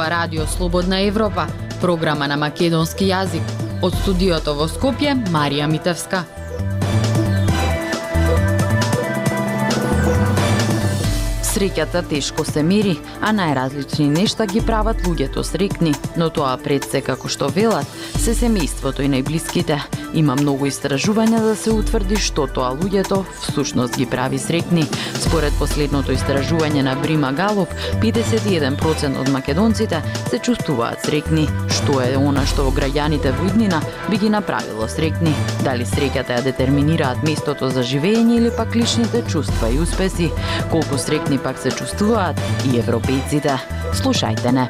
Ова радио Слободна Европа, програма на македонски јазик. Од студиото во Скопје, Марија Митевска. Среќата тешко се мери, а најразлични нешта ги прават луѓето среќни, но тоа пред се, како што велат, се семејството и најблиските. Има многу истражувања да се утврди што тоа луѓето всушност ги прави среќни. Според последното истражување на Брима Галуп, 51% од македонците се чувствуваат среќни. Што е она што граѓаните во иднина би ги направило среќни? Дали среќата ја детерминираат местото за живење или пак личните чувства и успеси? Колку среќни пак се чувствуваат и европејците? Слушајте не.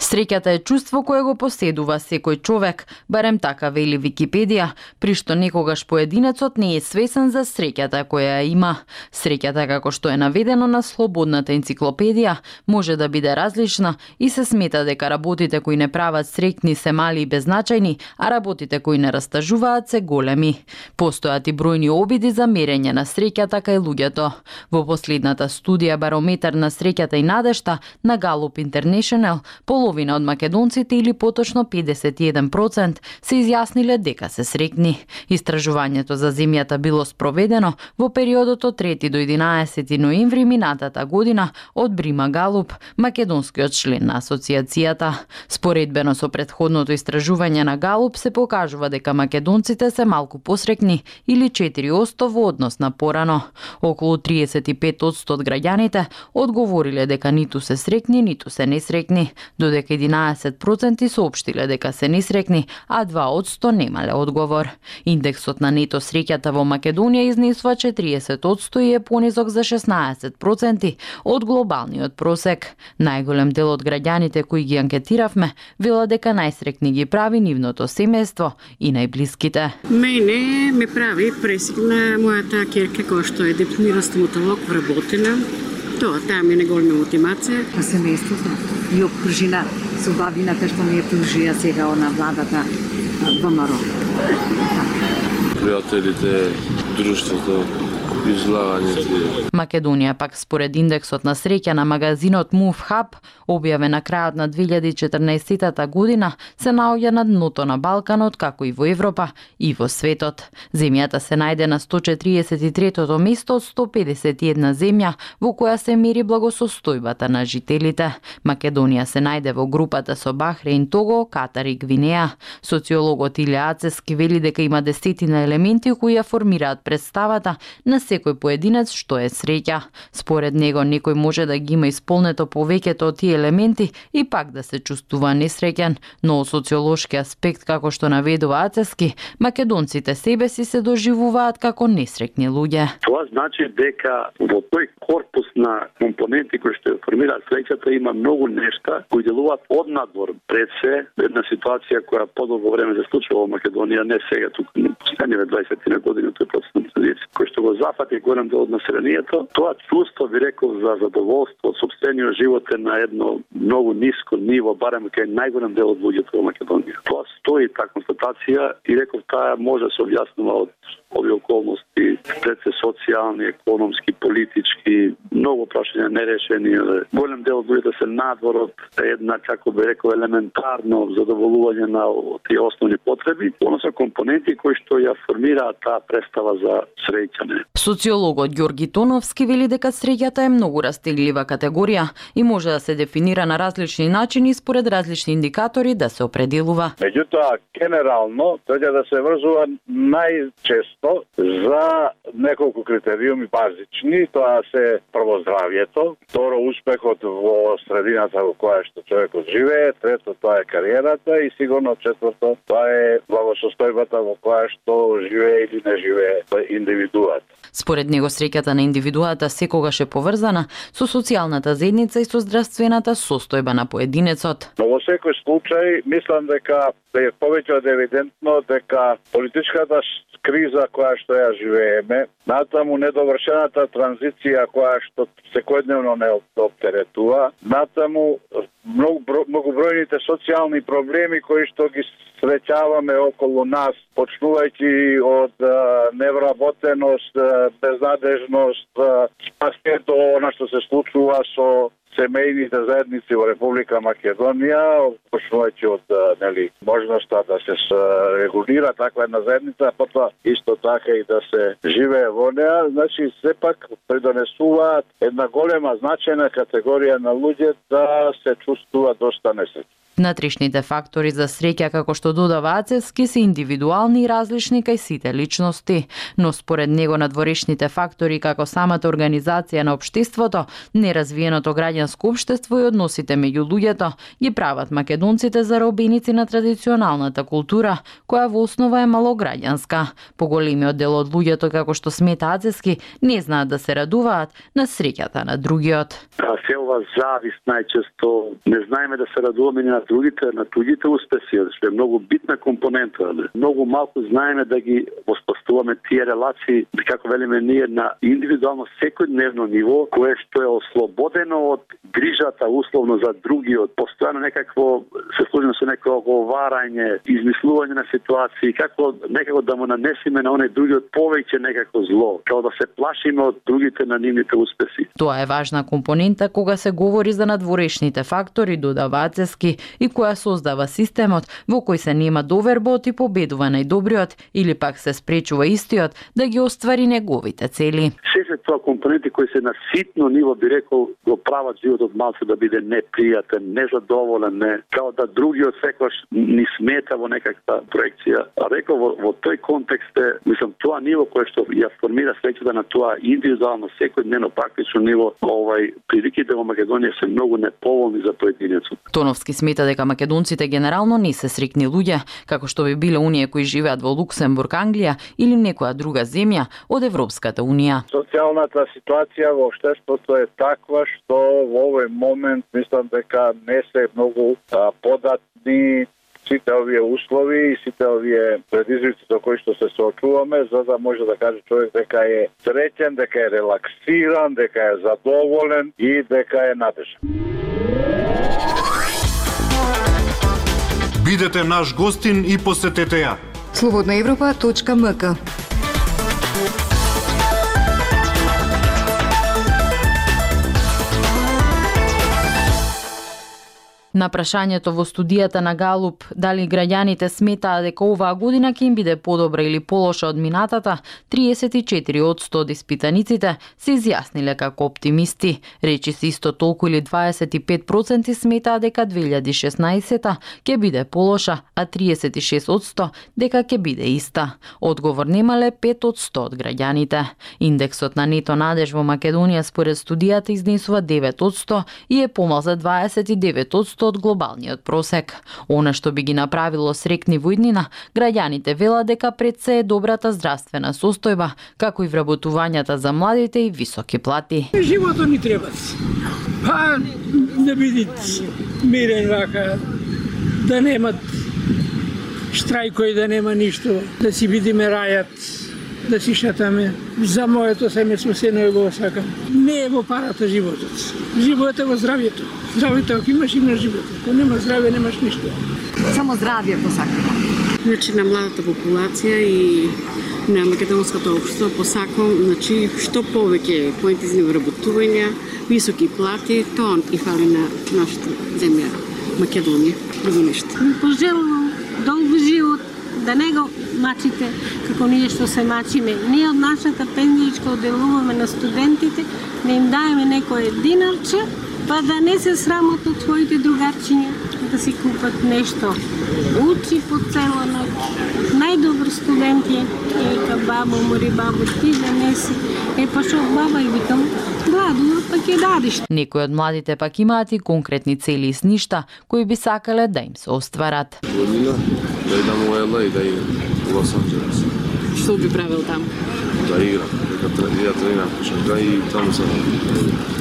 Среќата е чувство кое го поседува секој човек, барем така вели Википедија, при што некогаш поединецот не е свесен за среќата која ја има. Среќата, како што е наведено на Слободната енциклопедија, може да биде различна и се смета дека работите кои не прават среќни се мали и беззначајни, а работите кои не растажуваат се големи. Постојат и бројни обиди за мерење на среќата кај луѓето. Во последната студија Барометар на среќата и надежта на Галуп Интернешнл, половина од македонците или поточно 51% се изјасниле дека се среќни. Истражувањето за земјата било спроведено во периодот од 3 до 11 ноември минатата година од Брима Галуп, македонскиот член на асоциацијата. Споредбено со претходното истражување на Галуп се покажува дека македонците се малку посреќни или 4% во однос на порано. Околу 35% од граѓаните одговориле дека ниту се среќни, ниту се несреќни, додека 11% соопштиле дека се несреќни, а 2% немале одговор. Индексот на нето среќата во Македонија изнесува 40% и е понизок за 16% од глобалниот просек. Најголем дел од граѓаните кои ги анкетиравме велат дека најсреќни ги прави нивното семејство и најблиските. Мене ме прави пресигна мојата ќерка која што е дипломиран стоматолог вработена. Таа ми е неголема мотивација. А семејството и обкружина со бабината што ми е пружија сега на владата ВМРО. Пријателите, друштвото, излагањето. Македонија пак според индексот на среќа на магазинот Move Hub, објавен на крајот на 2014 година, се наоѓа на дното на Балканот, како и во Европа и во светот. Земјата се најде на 143-тото место од 151 земја во која се мери благосостојбата на жителите. Македонија се најде во групата со Бахрейн, Того, Катар и Гвинеја. Социологот Илија Ацески вели дека има десетина елементи кои ја формираат представата на секој поединец што е среќа. Според него некој може да ги има исполнето повеќето од тие елементи и пак да се чувствува несреќен, но од социолошки аспект, како што наведува Ацески, македонците себе си се доживуваат како несреќни луѓе. Тоа значи дека во тој корпус на компоненти кои што формираат среќата има многу нешта кои делуваат однадвор пред се една ситуација која подолго време се случува во Македонија, не сега туку на последниве 20 години тој процес на традиција, кој што го зафати голем дел од населението. Тоа чувство, би рекол, за задоволство од сопствениот живот е на едно многу ниско ниво, барем кај најголем дел од луѓето во Македонија. Тоа стои таа констатација и реков таа може да се објаснува од овие околности, пред се социјални, економски, политички, многу прашања нерешени. Голем дел од луѓето се надвор од една, како би рекол, елементарно задоволување на тие основни потреби, односно компоненти кои што ја формираат таа представа за среќане. Социологот Ѓорги Тоновски вели дека среќата е многу растеглива категорија и може да се дефинира на различни начини според различни индикатори да се определува. Меѓутоа, генерално, треба да се врзува најчесто за неколку критериуми базични. Тоа се прво здравјето, второ успехот во средината во која што човекот живее, трето тоа е кариерата и сигурно четврто тоа е благосостојбата во која што живее или не живее индивидуат. Според него среќата на индивидуата секогаш е поврзана со социјалната заедница и со здравствената состојба на поединецот. Но во секој случај мислам дека е повеќе од евидентно дека политичката криза која што ја живееме, натаму недовршената транзиција која што секојдневно не оптеретува, натаму многобројните социјални проблеми кои што ги среќаваме околу нас, почнувајќи од невработеност, безнадежност, па се до она што се случува со семејните заедници во Република Македонија, почнувајќи од можноста да се регулира таква една заедница, потоа исто така и да се живее во неа, значи сепак придонесуваат една голема значајна категорија на луѓе да се чувствуваат доста несреќни. Внатрешните фактори за среќа, како што додава Ацевски, се индивидуални и различни кај сите личности, но според него надворешните фактори како самата организација на општеството, неразвиеното граѓанско општество и односите меѓу луѓето ги прават македонците заробеници на традиционалната култура, која во основа е малограѓанска. Поголемиот дел од луѓето, како што смета Ацевски, не знаат да се радуваат на среќата на другиот. Се ова завист најчесто, не знаеме да се радуваме на туѓите успеси, што е многу битна компонента. Многу малку знаеме да ги воспоставуваме тие релации, како велиме ние, на индивидуално секојдневно ниво, кое што е ослободено од грижата условно за другиот, постојано некакво се служиме со некој оговарање, измислување на ситуации, како некако да му нанесеме на оној другиот повеќе некако зло, како да се плашиме од другите на нивните успеси. Тоа е важна компонента кога се говори за надворешните фактори, додава Ацевски, и која создава системот во кој се нема доверба од и победува најдобриот или пак се спречува истиот да ги оствари неговите цели. Се тоа компоненти кои се на ситно ниво, би рекол, го прават животот малку да биде непријатен, незадоволен, као да другиот секогаш ни смета во некаква проекција. А рекол во тој контекст е, мислам, тоа ниво кое што ја формира среќата на тоа индивидуално секојдневно практично ниво, приликите во Македонија се многу неповолни за поединецот. Тоновски смета дека македонците генерално не се среќни луѓе, како што би биле оние кои живеат во Луксембург, Англија или некоја друга земја од Европската унија. Социјалната ситуација во општеството е таква што во овој момент мислам дека не се многу податни сите овие услови и сите овие предизвици со кои што се соочуваме, за да може да каже човек дека е среќен, дека е релаксиран, дека е задоволен и дека е надежан. Бидете наш гостин и посетете ја. slobodnaevropa.mk. На прашањето во студијата на Галуп дали граѓаните сметаа дека оваа година ќе им биде подобра или полоша од минатата, 34% од испитаниците се изјасниле како оптимисти. Речи се исто толку или 25% сметаа дека 2016 ќе биде полоша, а 36% дека ќе биде иста. Одговор немале 5% од граѓаните. Индексот на нето надеж во Македонија според студијата изнесува 9% и е помал за 29% од глобалниот просек. Она што би ги направило срекни во иднина, граѓаните велат дека пред се е добрата здравствена состојба, како и вработувањата за младите и високи плати. Животот ни треба. Па да бидат мирен вака, да немат штрајкои, да нема ништо, да си бидиме рајат, да си шатаме. За моето семејство се не го сакам. Не е во парата животот. Животот е во здравието. Здравието ако имаш живот. Ако нема здравие, немаш ништо. Само здравие посакам. Значи на младата популација и на македонското општество посакам, значи што повеќе поинтензивни вработувања, високи плати, тоа и фали на нашата земја Македонија. Друго нешто. Пожелувам долг живот, да не го мачите како ние што се мачиме. Ние од нашата пензијачка одделуваме на студентите, не им даеме некое динарче, па да не се срамот од своите другарчиња, да си купат нешто. Учи по цела ноќ. Најдобри студенти, ека бабо, мори бабо, ти да не си. Па шо баба и викам, гладува, па ќе дадиш. Некои од младите пак имаат и конкретни цели и сништа, кои би сакале да им се остварат. Година, да идам во LA и да идам во Лос Анџелес. Што би правил таму? да играм, ја тренирам кошарка и таму се.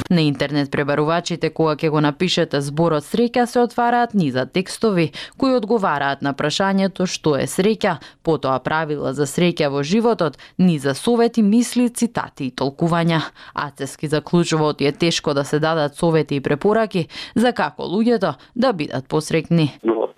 На интернет пребарувачите кога ќе го напишете зборот среќа се отвараат низа текстови кои одговараат на прашањето што е среќа, потоа правила за среќа во животот, низа совети, мисли, цитати и толкувања. Ацески заклучува оти е тешко да се дадат совети и препораки за како луѓето да бидат посреќни.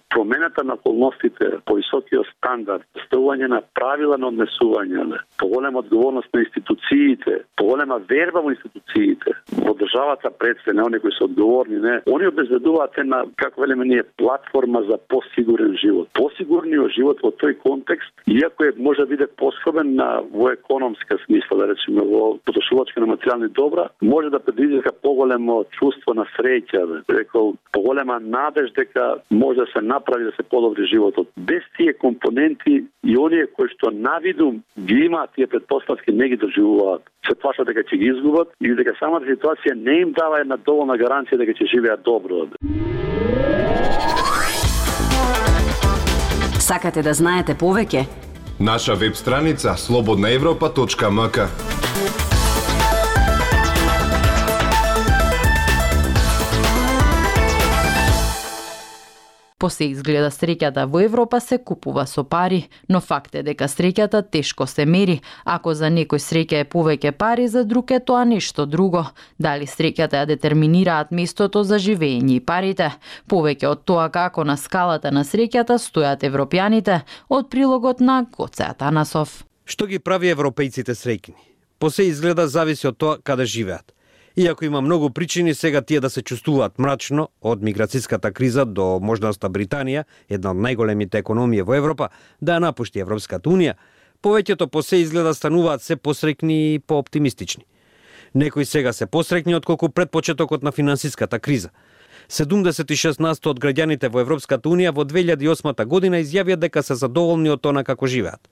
Промената на околностите, повисокиот стандард, ставување на правила на однесување, поголема одговорност на институциите, поголема верба во институциите, во државата пред се, не оние кои се одговорни, не, они обезбедуваат една, како велиме ние, платформа за посигурен живот. Посигурниот живот во тој контекст, иако е може да биде поскобен во економска смисла, да речеме во потрошувачка на материјални добра, може да предизвика поголемо чувство на среќа, рекол, поголема надеж дека може да се направи да се подобри животот. Без тие компоненти и оние кои што навидум ги имаат тие претпоставки не ги доживуваат. Се плашат дека ќе ги изгубат или дека самата ситуација не им дава една доволна гаранција дека ќе живеат добро. Сакате да знаете повеќе? Наша веб страница slobodnaevropa.mk. По се изгледа среќата во Европа се купува со пари, но факт е дека среќата тешко се мери. Ако за некој среќа е повеќе пари, за друг е тоа нешто друго. Дали среќата ја детерминираат местото за живење и парите? Повеќе од тоа како на скалата на среќата стојат европјаните, од прилогот на Гоце Атанасов. Што ги прави европејците среќни? По се изгледа зависи од тоа каде живеат. Иако има многу причини сега тие да се чувствуваат мрачно, од миграцијската криза до можноста Британија, една од најголемите економии во Европа, да ја напушти Европската Унија, повеќето по се изгледа стануваат се посреќни и пооптимистични. Некои сега се посреќни отколку пред почетокот на финансиската криза. 76% од граѓаните во Европската Унија во 2008 година изјавија дека се задоволни од тоа како живеат.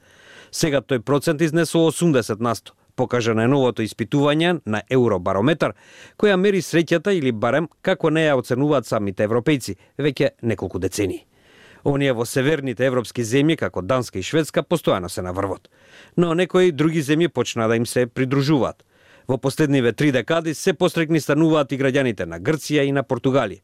Сега тој процент изнесува 80%. Покажа на новото испитување на Евробарометар, која мери среќата или барем како не ја оценуваат самите европејци веќе неколку децении. Оние во северните европски земји, како Данска и Шведска, постојано се на врвот. Но некои други земји почна да им се придружуваат. Во последниве 3 декади се посреќни стануваат и граѓаните на Грција и на Португалија.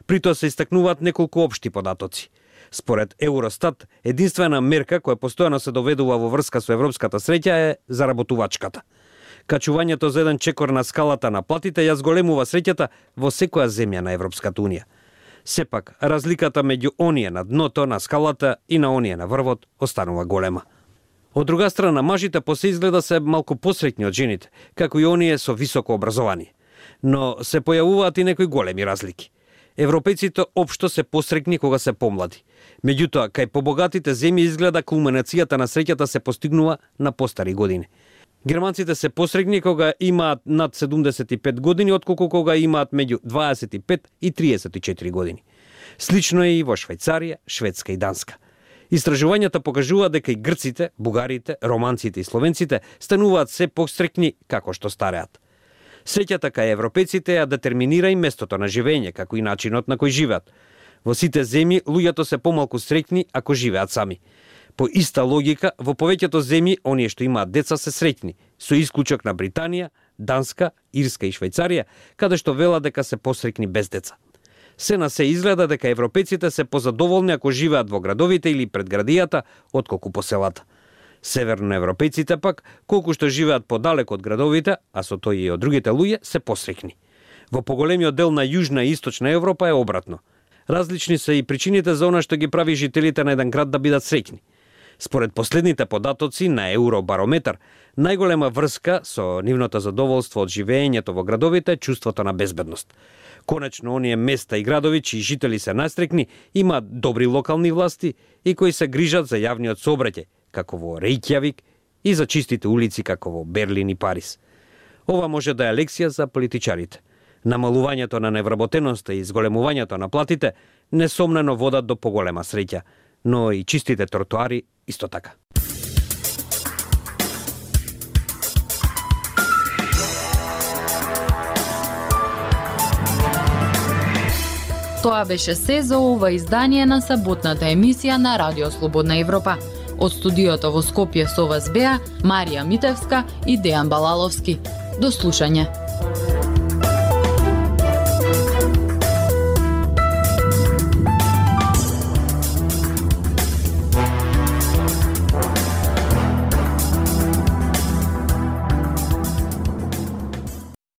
При тоа се истакнуваат неколку општи податоци. Според Евростат, единствена мерка која постојано се доведува во врска со европската среќа е заработувачката. Качувањето за еден чекор на скалата на платите ја зголемува среќата во секоја земја на Европската Унија. Сепак, разликата меѓу оние на дното на скалата и на оние на врвот останува голема. Од друга страна, мажите по се изгледа се малку посреќни од жените, како и оние со високо образование. Но се појавуваат и некои големи разлики. Европејците општо се посреќни кога се помлади. Меѓутоа, кај побогатите земји изгледа кулминацијата на среќата се постигнува на постари години. Германците се посреќни кога имаат над 75 години, отколку кога имаат меѓу 25 и 34 години. Слично е и во Швајцарија, Шведска и Данска. Истражувањата покажуваат дека и грците, бугарите, романците и словенците стануваат се посреќни како што стареат. Среќата кај европејците ја детерминира и местото на живење, како и начинот на кој живеат. Во сите земји луѓето се помалку среќни ако живеат сами. По иста логика, во повеќето земји оние што имаат деца се среќни, со исклучок на Британија, Данска, Ирска и Швајцарија, каде што велат дека се посреќни без деца. Се на се изгледа дека европејците се позадоволни ако живеат во градовите или пред градијата, отколку по селата. Северноевропејците пак, колку што живеат подалек од градовите, а со тој и од другите луѓе, се посреќни. Во поголемиот дел на Јужна и Источна Европа е обратно. Различни се и причините за она што ги прави жителите на еден град да бидат среќни. Според последните податоци на Евробарометар, најголема врска со нивното задоволство од живеењето во градовите е чувството на безбедност. Конечно, оние места и градови чии жители се настрекни имаат добри локални власти и кои се грижат за јавниот сообраќај, како во Рејкјавик, и за чистите улици како во Берлин и Париз. Ова може да е лекција за политичарите. Намалувањето на невработеноста и зголемувањето на платите несомнено водат до поголема среќа, но и чистите тротоари исто така. Тоа беше се за ова издание на саботната емисија на Радио Слободна Европа. Од студиото во Скопје со вас беа Марија Митевска и Дејан Балаловски. До слушање.